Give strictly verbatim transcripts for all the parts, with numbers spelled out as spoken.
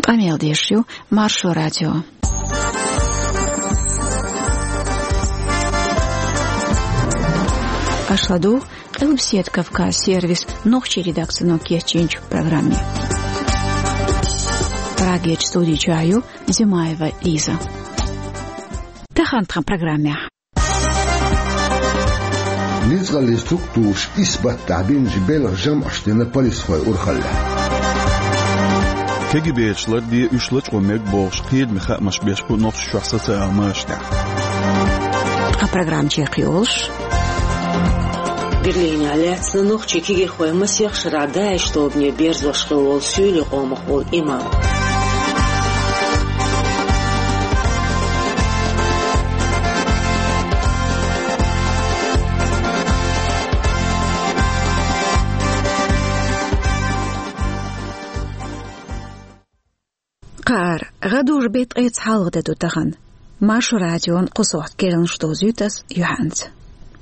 Къамел деш ю Маршо радио. Аша ладугӀу Къилбаседа Кавказ сервисан нохчийн редакцино кечйинчу программе. Прагерчу студи чохь ю Зимаева Лиза. Тахана тхан программехь. Ницкъаллин структураш исбаттахь бинчу белхан жамӀаш дина полисхой урхаллехь. КГБ-чу ларде, уьш лачкъо мега бохуш, кхетаме хаамаш беш бу Нохчийчохь социал машанехь. Тхан программа чекхйолуш. Берлинехь лаьцна нохчийн кегийрхой масех шарахь ДАИШ тобане берзош хилла волу суьйлийн къомах волу имам. Кхара гӀадужу беттан ткъе цхьалгӀа де ду тахана. Маршо радион кху сохьта керланаш довзуьйту ас юьхьанца.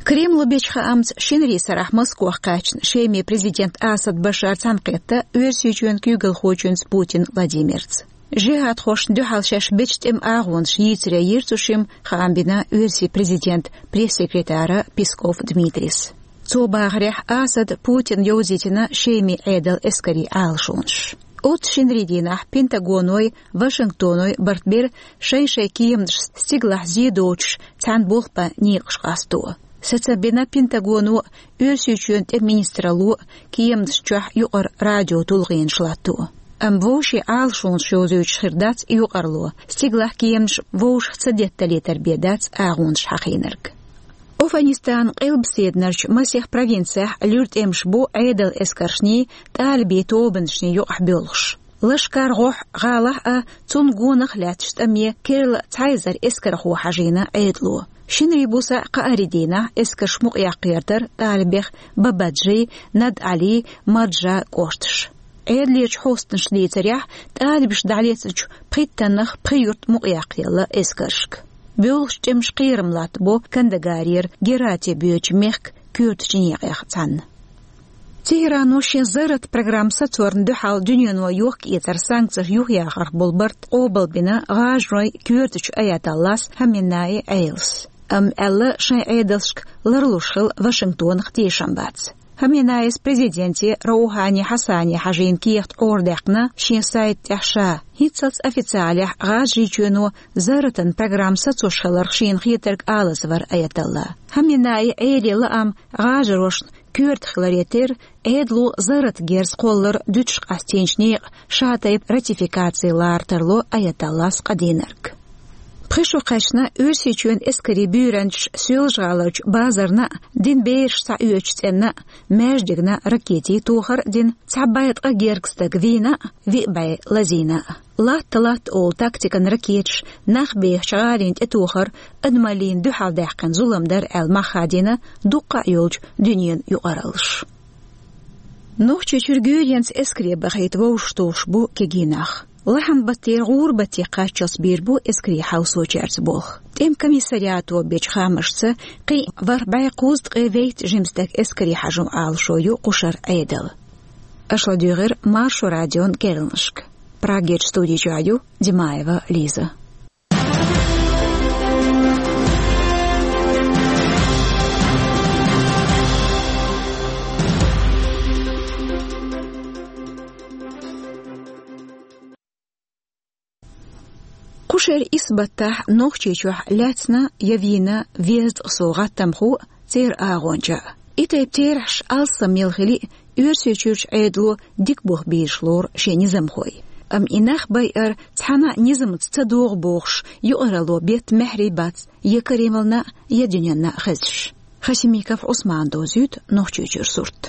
Кремло бечу хаамца, шинарин сарахь Москвахь кхаьчна Шеман президент Асад Башар цхьаьнакхетта Оьрсийчоьнан куьйгалхочуьнца Путин Владимирца. ЖихӀадхошна дуьхьал шаьш бечу тӀеман агӀонаш йийцаре йира цу шимма, хаам бина Оьрсийн президентан пресс-секретара Песков Дмитрийс. Цо бахарехь, Асада Путина йовзийтина Шеман Ӏедалан эскарийн Ӏалашонаш. Оццу шинарин дийнахь Пентагоной, Вашингтоной барт бира шайн-шайн кеманаш стигалахь зе доцуш цхьаьна болх бан некъаш къасто. Сацам бина Пентагоно, Оьрсийчоьнан тӀеман министралло кеманаш чохь юкъара радио тулгӀенаш латто. Амма вовшийн Ӏалашонаш йовзуьйтуш хир дац и юкъарло, стигалахь кеманаш вовшах ца детталийтар бен дац агӀонаш хьахийнарг. Афганистанан къилбаседарчу масех провинцехь луьра тӀемаш бу Ӏедалан эскаршний, талибийн тобанашний юкъахь боьлхуш. Лашкар гӀохь гӀалахь а, цунна гонах а лаьтташ тӀаме керла цхьа эзар эскархо хьажийна Ӏедало. Шинарин буса кхаарин дийнахь эскарш мукъаяккхар талибех Бабаджи, Над-Ӏали, Маджа кӀошташ. Ӏедалерчу хьостанаша дийцарехь, талибаша дӀалецначу пхийттаннах пхи юрт мукъаяккхаелла эскаршка. Боьлхучу тӀемаша кхерам латтабо Кандагарера Герати боьдучу мехкан коьртачу некъех цхьаьна. Техьрано шен зарратан программа сацорна дуьхьал дуьнено йохка-эцар санкцеш юхаяхарх болу барт къобалбина ГӀажаройн коьртачу аятоллас Хаменеи Ӏелас. Амма аьлла, шайн Ӏедалшка ларлуш хила Вашингтонах тешам бац. Хаменеис президенте Роухани Хьасане хьажийна кехат Ӏорадаьккхина шен сайта тӀехь ша, хӀинццалц официалехь ГӀажарийчоьно зарратан программа сацош хиларх шена хетарг алаза вара аятолла. Хаменеин Ӏелин лаам ГӀажарошна коьрта хиларе терра, Ӏедало зарратан герз кхоллар дуьтуш къастийначу некъан ша тайпа ратификаци лара тарло аятоллас къадийнарг. Пхи шо кхаьчна Оьрсийчоьнан эскарийн буьйранчаш Соьлжа-ГӀаларчу базарна а, дин бераш схьаоьцучу цӀенна а, маьждигна а ракетийн тохар а дина, цхьа бӀе ткъа гергга стаг вийна а, виъ бӀе лазийна а. Латта-латта олу тактикан ракеташ нах бехачу гӀалина тӀетохар адамаллина дуьхьал даьккхина зулам дара аьлла мах хадийна дуккха а йолчу дуьненан юкъараллаша. Нохчийчуьра гуьйренца эскаре бахийта вовшахтухуш бу кегий нах. Лахьанбаттера ГӀурбате кхаччалц бийр бу эскарийн хьовсочаьрца болх. ТӀеман комиссариато бечу хаамашца, кхин а ворхӀ бӀе кхузткъе вейтта жима стаг эскаре хьажо Ӏалашо ю кху шарахь Ӏедалан. Аша ладуьйгӀира Маршо радион керланашка. Прагерчу студи чохь ю Димаева Лиза. Кху шеран исбаттахь Нохчийчохь лаьцна я вийна везткъа сов гӀаттамхо а, церан агӀонча а. И тайпа терахьаш алссам мел хили а, Оьрсийчуьрчу Ӏедало дика бух бийраш лору шен низамхой. Амма и нах байар цхьана а низамца ца догӀу бохуш, юкъаралло бетта маьхьарий бац я Кремлна а, я дуьненна а хезаш. Хасимиков Ӏусмана довзуьйту Нохчийчуьра сурт.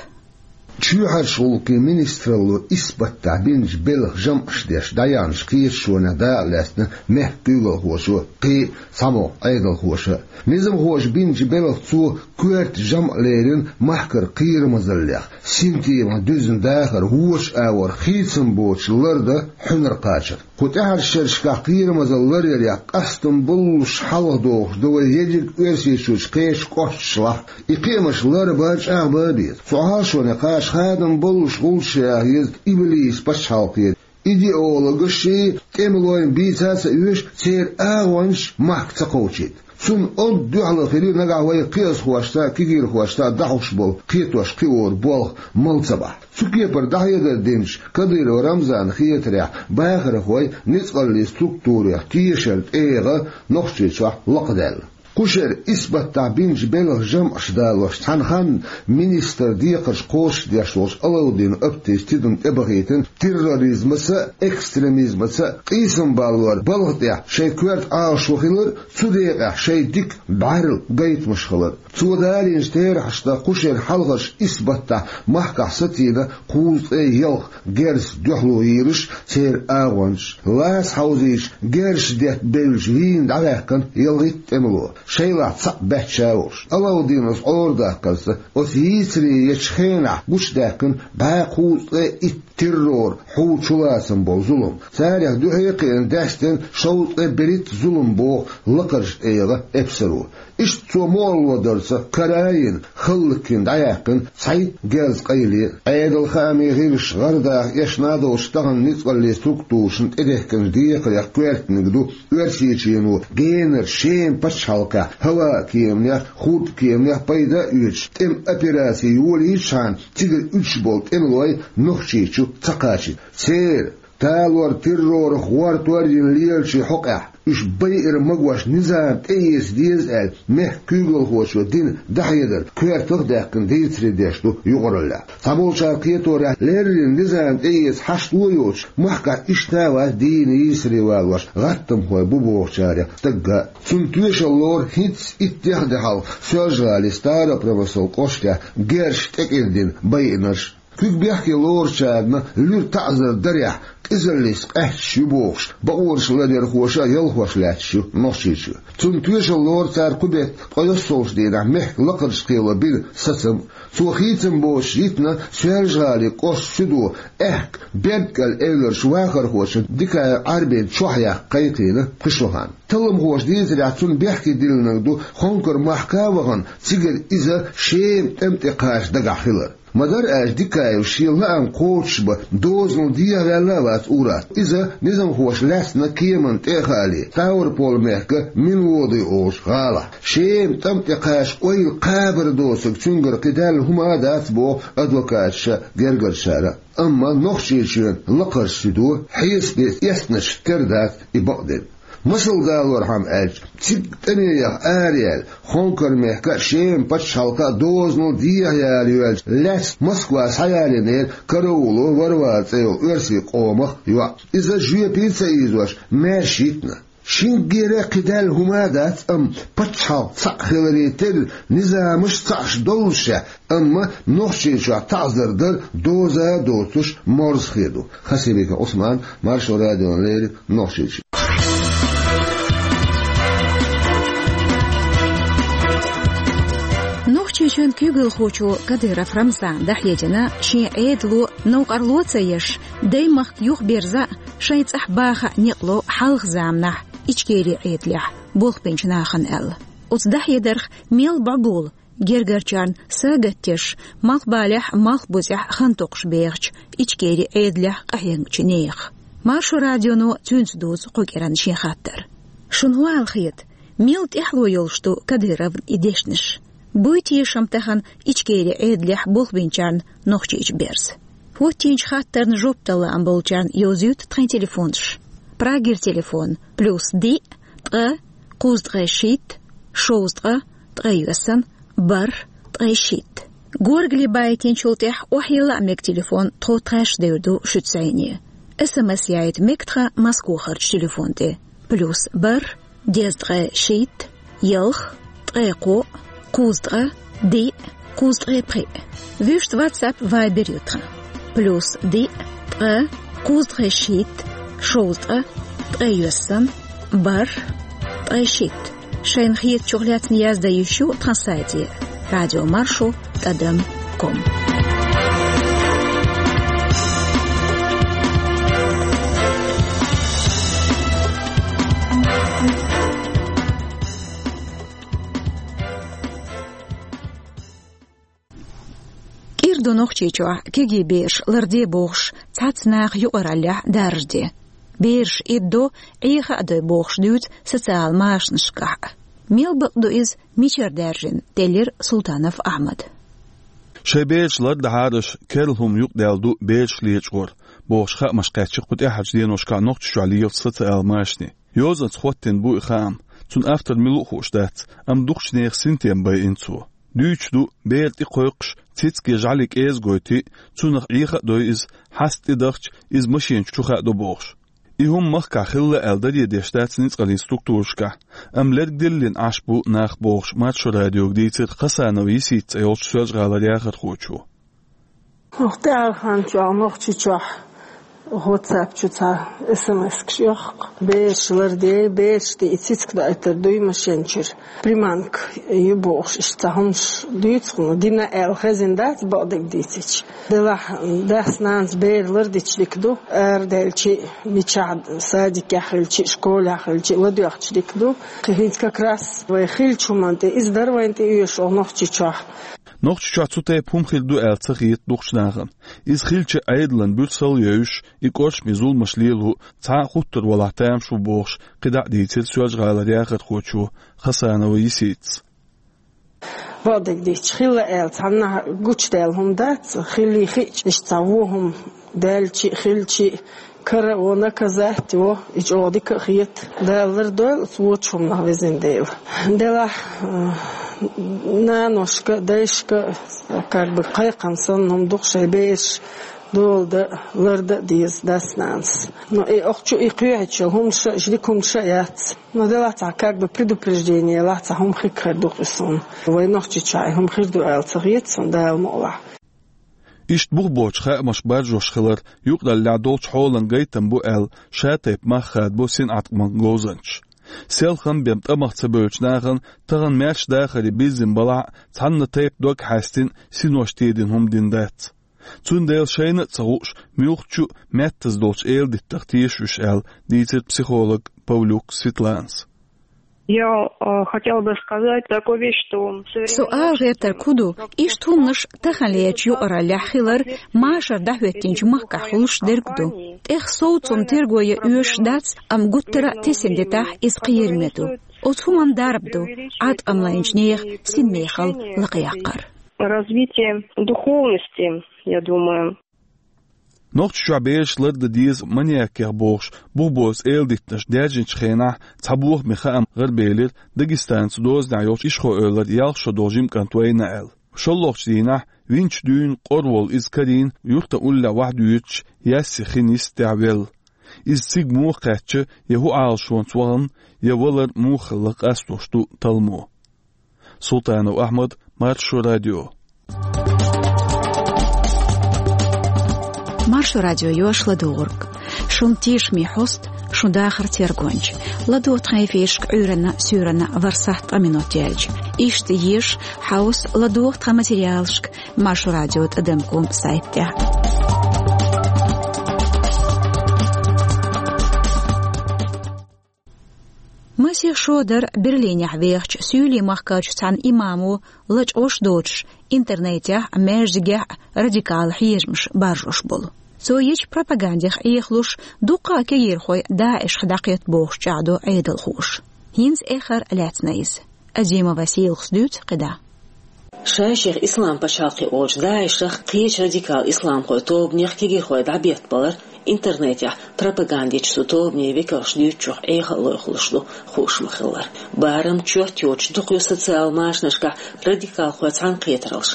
Чоьхьарчу гӀуллакхийн министралло исбаттахь бинчу белхан жамӀаш деш дӀаяьхьначу кхеташонех дакъа лаьцна мехкан куьйгалхоша, кхин а цхьамогӀа Ӏедалхоша. Низамхоша бинчу белхан цо коьрта жамӀ лерина махкара кхерамазаллех, синтемах дуьзна дахар, вочу агӀор хийцам боцуш лардан хьуьнар кхачар. Кху тӀаьхьарчу шерашкахь кхерамазалла ларъярехь къастам боллуш хьалхадохуш ду вай ерриг Оьрсийчуьрчу кхечу кӀошташлахь. И кхиамаш ларбан а, чӀагӀбан а беза. Цу Ӏалашоне кхача хадам боллуш гӀулчаш яха еза Иблисан пачхьалкхера. Идеологаши тӀемалойн бийца а ца оьшу, церан агӀончаш махка ца кховдийта. Цунна онда дуьхьал хилира нагахь вай кхиазхошца а, кегийрхошца а дӀахьош болу кхетош-кхиоран болх мала ца бахь. Цу кепара дӀахьедар динчу Кадыров Рамзана хетарехь, бахархой ницкъаллийн структурех тешар тӀегӀа Нохчийчохь лакхадаьлла. Кху шеран исбаттахь бинчу белхан жамӀаш далош, цхьана ханна министран декхарш кхочушдеш волчу Алаудинов Аптис тидам тӀебахийтина терроризмаца а, экстремизмаца а къийсам баллор балха тӀехь шайн коьрта Ӏалашо хилар а, цу декъехь шайн дика бӀаьрла гайтамаш хилар а. Цо далийначу терахьашна, кху шеран хьалхарчу исбаттахь махкахь сацийна кхузткъе ялх герзаца дуьхьало йийраш церан агӀончаш, лаца хьовзийча герзаш детта бевллачу вийна дӀаваьккхина ялхитта тӀемало, шайлахь цхьаъ баьчча а волуш. Алаудиновс Ӏорадаккхарца, оцу йийцаре ечу хенахь гучудаьккхина бӀе кхузткъе итт террор хьул чулацам болу зулам. Царех дуьхьа а кхиъна даьстина шовзткъе берхӀитта зулам, боху лакхарчу тӀегӀан эпсаро. Иштта цо мо алло дарца карайина, хӀаллакйина дӀаяьккхина цхьайтта герзан къайле а. Ӏедалан хаамийн гӀирсаша гӀардаха эшна а долуш, тахана ницкъаллийн структурашна тӀедехкинчу декхарех коьртаниг ду Оьрсийчоьно генара Шеман пачхьалкхехь хӀаваан кеманех, хурдан кеманех пайда а оьцуш, тӀеман операци йолийчхьана, цигара уьдуш болу тӀемалой Нохчийчу ца кхачийта. Церан талор-террорах гӀортор а йина лелачийн хьокъехь, уьш байъар магош низам тӀеэца деза аьлла, мехкан куьйгалхочо дина дӀахьедар коьртах а даьккхина дийцаре деш ду юкъараллехь. Цхьаболчара кхеторехь, леррина низам тӀеэца хьашт а йоцуш, махкахь иштта а вац дийна йийсаре валош гӀаттамхой бу бохучарех стагга а. Цунна тоьшалла лору хӀинцца итт дехьа де хьалха Соьлжа-ГӀалин Старопромысловски кӀоштехь герзаш тӀекӀирдина байинарш. Куьг бехке лоручарна луьра таӀзар дарехь, къизаллица къаьсташ ю бохуш, бакъонаш ларъярхоша а ялхош лаьтташ ю Нохчийчоь. Цунна тоьшалла лору цара кху беттан ткъе йоьссалгӀачу дийнахь мехкан лакхарчу кхело бина сацам а. Цо хийцам боцуш йитина Соьлжа-ГӀалин кӀоштан суьдо аьхка Бердкъел эвларчу вахархочун Дикаев Ӏарбин чохь яккха кхайкхийна пхи шо хан. Талламхоша дийцарехь, цунна бехке диллинарг ду Хонкар-махка а вахана, цигара иза Шеман тӀам тӀе кхача дагахь хилар. Ма-дарра аьлча, Дикаев шен лаам кхочушбан дозанал дехьаваьлла а вац ур-атталла. Иза низамхоша лаьцна кеманна тӀе а хаале, Ставрополь-мехкан Минводы олучу гӀалахь. Шеман тӀам тӀе кхача ойла кхабар доцург цуьнгара кхидаьлла хӀума а дац, боху адвокаташа а, гергарчара а. Амма Нохчийчоьнан лакхарчу суьдо хьесапе эцначух тера дац и бакъдерг. Масал далорхьама аьлча, цига тӀаме яха араяьлла, Хонкар-мехкан а, Шеман пачхьалкхан а дозанал дехьаяла йоьлча лаьцна Москва схьаялийнера карауло Варвара цӀе йолу оьрсийн къомах йоӀ. Иза жоьпе а ца ийзош, маьрша йитина. Шинггера а кхидаьлла хӀума а дац, амма пачхьалкх цхьаъ хиларе терра, низамаш цхьаъш доллушехь, амма Нохчийчохь таӀзар дар доза а доцуш морзахе ду. Хасимиков Ӏусман, Маршо радиона леррина, Нохчийчоь. Нохчийчоьнан куьйгалхочо Кадыров Рамзана дӀахьедина шен Ӏедало новкъарло а ца еш, даймахка юхаберза а, шайн цӀахь баха а некъ ло хьалха заманахь Ичкерин Ӏедалехь болх бинчу нахана аьлла. Оцу дӀахьедарх мел бӀобула, гергарчарна сагатдеш, малхбалехь а, малхбузехь а хан токхуш бехачу Ичкерин Ӏедалехь къахьегначу нехан. Маршо радионо цуьнца дузу кху кӀиранна шен хаттар. Шуна хӀун аьлла хета, мел тӀаьхьало йолуш ду Кадыровн и дешнаш? Буй тешам тахана Ичкерин Ӏедалехь болх бинчарна Нохчийчу берза? ХӀоттийначу хаттарна жоп дала лаам болчарна йовзуьйту тхайн телефонаш. Прагера телефон: плюс диъ, ткъа, кхузткъе шийтта, шовзткъа, ткъе йоьссан, бархӀ, ткъе шийтта. Горгали байтинчул тӀаьхьа охьайилла а мега телефон, тхо тхаьш девр ду шуьца зӀене. СМС яйта мега тхан Москохарчу телефон тӀе: плюс бархӀ, дезткъе шийтта, ялх, ткъе кхоъ, кхузткъа, диъ, кхузткъе пхиъ. Вуьшта WhatsApp, Viber ю тхан: плюс диъ, ткъа, кхузткъе шийтта, шовзткъа, ткъе йоьссан, бархӀ, ткъе шийтта. Шайна хетачух лаьцна яздан йиш ю тхан сайте: радиомаршо тӀадам ком. КӀира Ду Нохчийчохь кегий бераш ларде бохуш, цхьацца наха юкъараллехь даржаде. Бераш иддо, Ӏеха а дой бохуш дуьйцу социал машанашкахь. Мел бакъ ду иза, мичара даьржина, делира Султанов Ахьмада. Шайн бераш лардахьара аша, керла хӀума юкъадаьлла ду бераш лечкъор, бохуш хаамаш кхаьчна кху тӀаьхьарчу деношкахь Нохчийчохь лелачу социал машане. Йозанца хӀоттийна бу и хаам, цуьнан автор мила ву хууш дац, амма дукхачу нехан синтем байина цо. Дуьйцуш ду, бер тӀе кхойкхуш, цициг я жӀаьли кӀеза гойтий, цунах Ӏеха а дой иза, хьаста тӀедахча, иза машен чу хаадо бохуш. И хӀума махкахь хилла аьлла даре деш дац ницкъаллин структурашкахь, амма лергдиллина Ӏаш бу нах бохуш, Маршо радиога дийцира Хасанова Йисита цӀе йолчу Соьлжа-ГӀалара яхархочо. ТӀаьхьарчу хенахь Нохчийчохь WhatsApp чу цхьа эс эм эс-каш йохку. Бераш лардей, бераш тӀе и цициг доуьйтур дуй машен чуьра. Приманка ю бохуш, иштта цхьа хӀуманаш дуьйцу хьуна, дина аьлла хезна дац, бакъдерг дийцича. Делахь, дас-нанас бер лардича дика ду, арадаьлча а, мичахь, садикехь хилча а, школехь хилча а, ладоьгӀча дика ду. Кхин хӀинца как раз вай хиллачу хӀуманна тӀе, иза дара вайна тӀеоьшуш оха Нохчийчохь. Нохчийчохь цу тайпа хӀума хир ду аьлла ца хета дукхачу нахана. Иза хилча, Ӏедалан буьрсалла йойуш, и кӀоршаме зуламаш лело цхьа а хуттур валахь тамаш ву бохуш, кхидӀа а дийцира Соьлжа-ГӀалара яхархочо Хасанова Йиситас. Бакъдерг дийцича, хилла аьлла цхьаннахьа гучудаьлла хӀума дац, хиллий хиъча, иштта цхьа вон хӀума даьлча а, хилча а, кара а во, наказать а во, и чӀогӀа дика а хета. Дала лардойла оцу вочу хӀуманах, везан Дела. Делахь, э, наношка а, дайшка а, как бы, кхайкхам санна хӀума ду-кх шайн бераш дола дан а, лардан а деза дас-нанас. Но и охьа чу и кхоьхьуьйтуш йолу хӀуманаш а, уьш дика хӀуманаш а яц. Но делахь цхьа, как бы, предупреждение, лахь цхьа хӀума хир хир ду-кх и суна. Вай Нохчийчохь и хӀума хир ду аьлла ца хета суна, Дала мукъалахь. Иштта бух боцуш хаамаш баржош хилар юкъараллехь долчу хьолан гайтам бу аьлла, шатайпа мах хадабо синӀаткъаман говзанчаша. Селхана бен тӀамах ца бевллачу нахана тахана маьрша дахаре бирзина балахь а, цхьанна тайпа дог хьаьстина, синош тедина хӀума дина дац. Цундела шайна а ца хууш, муьлххачу а меттаза долчу эладиттах теша уьш аьлла, дийцира психолог Павлюк Светланас. Я, э, хотела бы сказать такую вещь, что современное общество... Со ала гӀертарг хӀун ду, иштта хӀуманаш таханлерчу юкъараллехь хилар машар дӀахӀоьттинчу махкахь хуьлуш дерг ду. ТӀех совцам терго ян оьшуш дац, амма гуттара а тесина дитахь, иза кхераме ду. Оцу хӀуманна дарба ду, Ӏаткъам лайначу нехан синмехалла лакхаяккхар. Развитие духовности, я думаю. Нохчийчохь бераш лардан деза маньякех бохуш, бух боцу эладиттанаш даьржинчу хенахь цхьа бохаме хаам гӀарабелира, Дагестанца дозанехь йолчу Ишхой-Эвлара ялх шо долу жима кӀант вайна аьлла. ШолгӀачу дийнахь винчу дуьйна къора волу иза карийна, юьртан уллехь вахьа дуьйцуш, яьсси хин йистехь велла. Иза цига муха кхаьчна, я хӀун Ӏалашонца вахана, я валар муха хилла къастош ду талламо. Султанов Ахьмад, Маршо радио. Маршо радио йош ладугӀург. Шун тешаме хьоста, шун дахар тергонча. ЛадогӀа тхан эфирашка Ӏуьйранна, суьйранна ворхӀ сахьт ткъа минот яьлча. Иштта еша, хьовса, ладогӀа тхан материалашка Маршо радио тӀадам ком сайтехь. Масех шо дара Берлинехь вехачу суьйлийн махкарчу цхьана имамо лачкъош доцуш, интернетехь а, маьждигехь а радикал хьежамаш баржош болу. Цо йечу пропагандех Ӏехалуш, дуккха а кегийрхой ДАИШах дӀакхетта бохуш чӀагӀдо Ӏедалхоша. ХӀинца эххар лаьцна иза. Азимова Сийлахас дуьйцу кхидӀа. Ша-шех Ислам пачхьалкх олучу ДАИШах, кхечу радикал исламхойн тобанех кегийрхой дӀабеттабалар интернетехь пропагандичу цу тобанийн векалша дуьйцучух Ӏеха а лойхуш ду хууш ма-хиллара. Барам, чот йоцуш дукха ю социал машанашкахь радикалхойн цхьаьнакхетараллаш.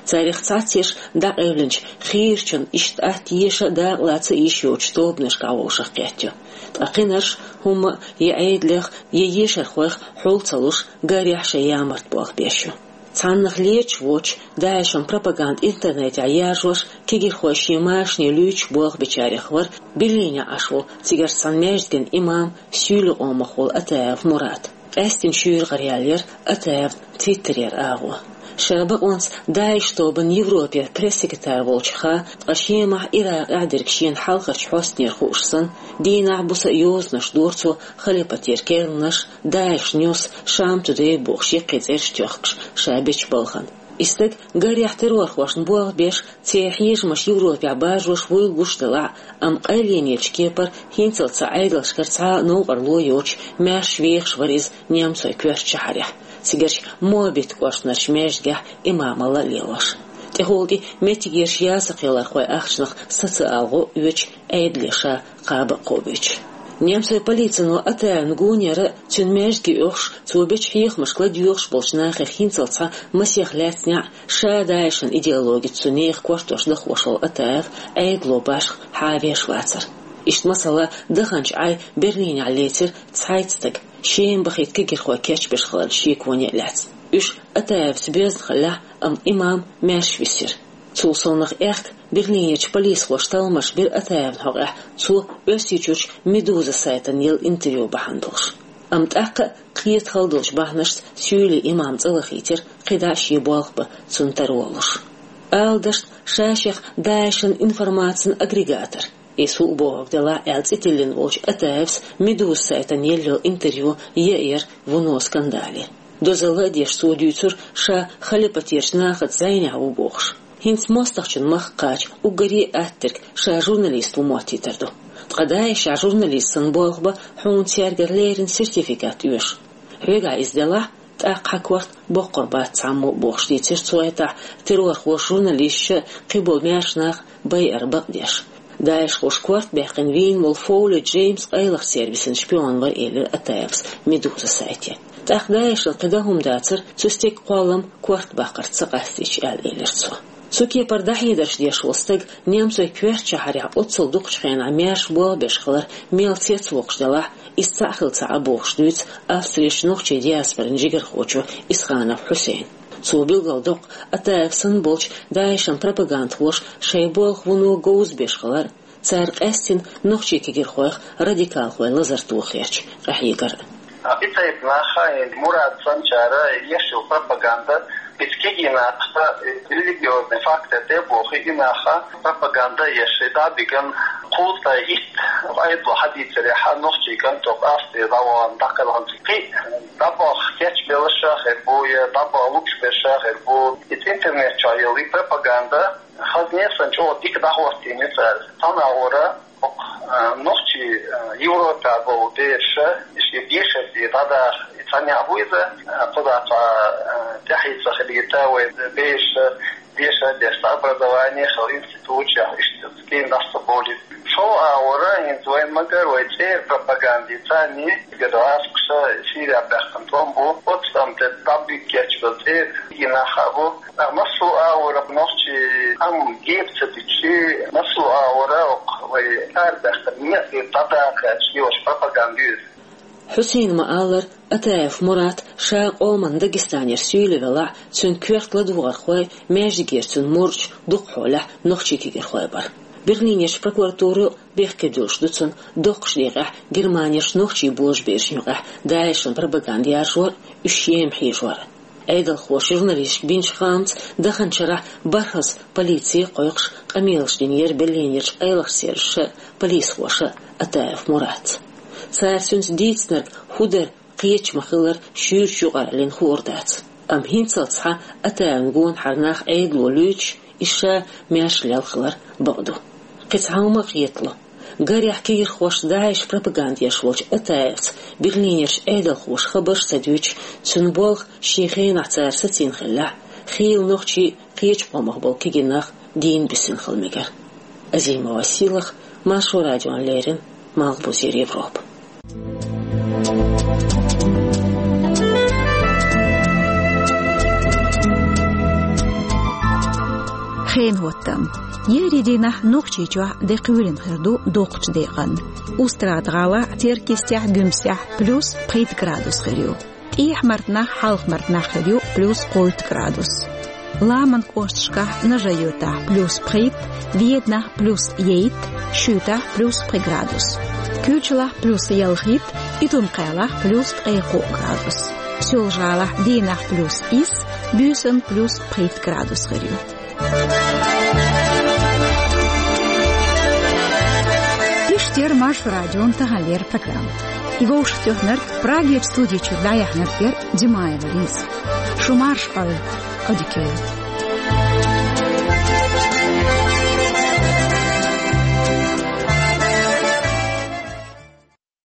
Царах цхьацца ерш дӀакъевлинчу хийрачун иштта атта еша а, дакъалаца а йиш йоцучу тобанашкахь вовшах кхетта ю. Ткъа кхинарш хӀумма а я Ӏедалех, я ешархойх хьул ца луш, гарехь шайн ямарта болх беш ю. Цхьаннах леташ воцуш, ДАИШан пропаганда интернетехь яржош, кегийрхой шен машане луьйчуш болх бечарех вара Берлинехь Ӏаш волу, цигарчу цхьана маьждиган имам, суьйлийн къомах волу Атаев Мурад. Къаьсттина шуьйра гӀара яьлла яра Атаевн Твиттерера агӀо. Ша бакъонца ДАИШ тобанан Европера пресс-секретарь волчух а, ткъа Шемахь, Иракъехь дерг шена хьалхарчу хьостанера хууш санна, дийнахь, буса а йозанаш дора цо халипатера керланаш, ДАИШ Ньюс, Шам Тудей бохуш яккхий цӀераш тоьхкуш ша бечу балхана. И стаг гарехь террорхошна болх беш, церан хьежамаш Европехь баржош вуйла гуш делахь а, амма къайленечу кепара хӀинццалц цхьа Ӏедалшкара цхьа а новкъарло йоцуш маьрша вехаш вара иза немцойн коьртачу шахьарехь, цигарчу Моабит кӀоштарчу маьждигехь имамалла а лелош. ТӀехула тӀе меттигерчу ясакхелархойн ахчанах саца ала гӀо а оьцуш, Ӏедале ша кхаба а кхобуьйтуш. Немцойн полицино Атаевн гонера а, цуьнан маьждиге оьхуш, цо бечу хьехамашка ладоьгӀуш болчу нахах хӀинццалц цхьа масех лаьцна неӀ, ша ДАИШан идеологица цу нехан кортош дахош волу Атаев Ӏедало башха хьан а веш вацара. Иштта масала даханчу Ӏай Берлинехь лецира цхьайтта стаг, шеман бахийта кегийрхой кечбеш хиларна шеконе а лаьцна. Уьш Атаевца боьзна хиллехь а, амма имам маьрша висира. Цул совнаха аьхка Берлинерчу полисхоша талламаш бира Атаевна хьокъехь, цо Оьрсийчуьрчу «Медуза» сайтана елла интервью бахьана долуш. Амма тӀаккха а кхета хала долчу бахьанашца суьйлин имам цӀа лахийтира, кхидӀа а шен болх бан цунна тарлуш. Ала дашна, ша шех ДАИШан информацин агрегатор, иза хӀуъа бохург делахь а, аьлла цӀе тиллина волчу Атаевс «Медуза» сайтана елла йолу интервью яйира вуно скандале. Дозалла а деш, цо дуьйцура, ша халипатерчу нахаца зӀенехь ву бохуш. ХӀинца мостагӀчун махка кхача уггаре а аттаверг ша журналист ву моттийтар ду. Ткъа ДАИШехь журналист санна болх бан хьуна цаьргара леррина сертификат оьшу. Хьоьгахь иза делахь, тӀаккха хьан корта боккхур бац цхьаммо а, бохуш дийцира цу хьетахь террорхоша журналисташ а, кхиболу маьрша нах а байар бакъдеш. ДАИШхоша корта баьккхина вийна волу Фоули Джеймс къайлаха сервисан шпион вара, элира Атаевс «Медуза» сайте. ТӀаккха ДАИШан кхин дан хӀума дацара, цу стеган кхоллам корта баккхарца ца къастийча, аьлла элира цо. Цу кепара дӀахьедарш деш волу стаг немцойн коьртачу шахьарехь оццул дукхачу хенахь маьрша болх беш хилар мел цецвоккхуш делахь а, иза цхьаъ хилла ца Ӏа бохуш дуьйцу Австрерчу нохчийн диаспоран жигархочо Исханов Хьусейна. Цо билгалдоккху Атаев санна болчу ДАИШан пропагандхоша шайн болх вуно говза беш хилар, цара къаьстина нохчийн кегийрхойх радикалхойн лазар тохарца къахьегар. А, и цхьайтта нах а, и Мурат санначара еш йолу пропаганда, иза кегий нахах религиозный фактор тӀе а бохий, и нах а пропаганда еш, и дӀа а биган, кхузткъе итт Ӏедало хьадийцарехь, нохчийн кӀант Австрера дӀавахана, дӀакхелхина, кхин а дӀабаха кечбелларш а хир бу, я дӀабаха лууш берш а хир бу. Иза интернет чохь йолу и пропаганда хазне а санна чӀогӀа дика дӀахӀоттийна цара. Цхьана агӀора, а, нохчий, а, Европехь болу бераш, и шен дешарца дӀадаха, и цхьа некъ бу иза, а, кхузахь цхьа, а, тӀаьхье ца хилийта вайн бераш, деша а деш, образование хила институтехь, иштта кийна дӀаса ца бовлийта. ШолгӀа агӀора, хӀинца вайн магар, вай цӀера пропаганда, царний гӀазкхаша Сирехь баьккхина тӀом бу, оцу тӀам тӀе дӀабига кечбелла цӀера и нах а бу. Ткъа массо а агӀора нохчий амма гепа ца дичи, массо а агӀора окху вай цӀера баьккхина некъ дӀадаккха аьлла йолуш пропаганда ю иза. Хьусейна ма-аллара, Атаев Мурат ша къоман Дагестанера суьйла велахь а, цуьнан коьрта ладогӀархой, маьждигера цуьнан мурдаш дукха хьолехь нохчийн кегийрхой бара. Берлинерчу прокуратуро бехке дуьллуш ду цунна доккхачу декъехь Германерчу нохчийн божаберашна юкъахь ДАИШан пропаганда яржор а, уьш шена хьийжор а. Ӏедалхоша журналисташка бинчу хаамца, даханчу шарахь бархӀазза полици а кхойкхуш, къамелаш динера Берлинерчу къайлахчу сервисаша а, полисхоша а Атаев Муратца. Цара цуьнца дийцинарг хӀун дара, кхеташ ма-хиллара, шуьйрачу юкъараллина хуур дац. Амма хӀинццалц цхьа Атаевн гонахьара нах Ӏедало луьйчуш, иза ша маьрша лелла хилар бакъ ду. Кхин цхьа хӀума а кхетало. Гарехь кегийрхошца, ДАИШан пропаганда еш волчу Атаевца Берлинерчу Ӏедалхоша хабарш а ца дуьйцуш, цуьнан болх шен хенахь цара сацийна хиллехь а, хийла нохчий, кхечу къомах болу кегий нах дийна бисина хила мегара. Азимова Сийлаха, Маршо радиона леррина, Малхбузера Европа. Хенан хӀоттам. Еарин дийнахь Нохчийчохь де кхоьлина хир ду доккхачу декъана. Устрада-ГӀалахь, Теркйистехь, Гуьмсехь плюс пхийтта градус хир ю. ТӀехьа-Мартанахь, Хьалха-Мартанахь хир ю плюс кхойтта градус. Ламанан кӀошташкахь: Нажи-Юьртахь плюс пхийтта, Веданахь плюс ейтта, Шуьйтахь плюс пхи градус, Куьрчалахь плюс ялхитта, Итун-Кхаьлахь плюс ткъе кхоъ градус. Соьлжа-ГӀалахь дийнахь плюс исс, буьйсанна плюс пхийтта градус хир ю. Иштта яра Маршо радион таханлера программа. И вовшахтоьхнарг, Прагерчу студи чуьра дӀаяьхьнарг яра Димаева Лиза. Шу марша Ӏойла! Chroniqueur.